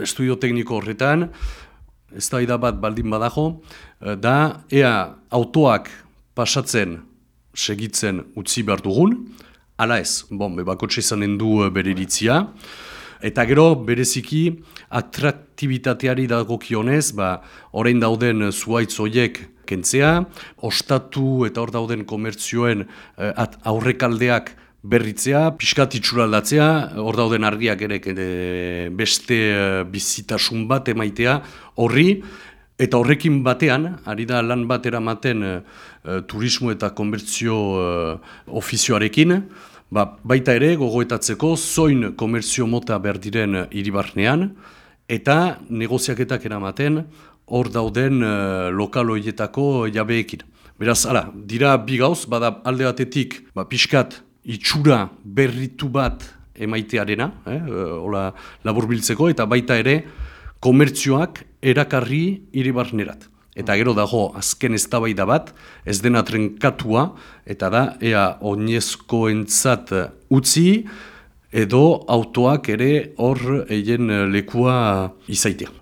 estudio tekniko horretan, eztabaida bat baldin badago, da ea autoak pasatzen segitzen utzi behar dugun, ala ez, bakotxe izanen du bere iritzia, eta gero bereziki atraktibitateari dagokionez, orain dauden zuhaitz horiek kentzea, ostatu eta hor dauden komertzioen aurrekaldeak berritzea, pixkat itxuraldatzea, hor dauden argiak ere beste bizitasun bat emaitea horri, eta horrekin batean, ari da lan bat eramaten turismo eta komertzio ofizioarekin, baita ere gogoetatzeko zoin komertzio mota behar diren hiribarnean, eta negoziaketak eramaten hor dauden lokal horietako jabeekin. Beraz, dira bi gauz, bada alde batetik pixkat itxura berritu bat emaitearena, hola laburbiltzeko, eta baita ere komertzioak erakarri hiribarnerat. Eta gero dago azken eztabaida bat, ez dena trenkatua, eta da ea oinezkoentzat utzi edo autoak ere hor eien lekua izaitea.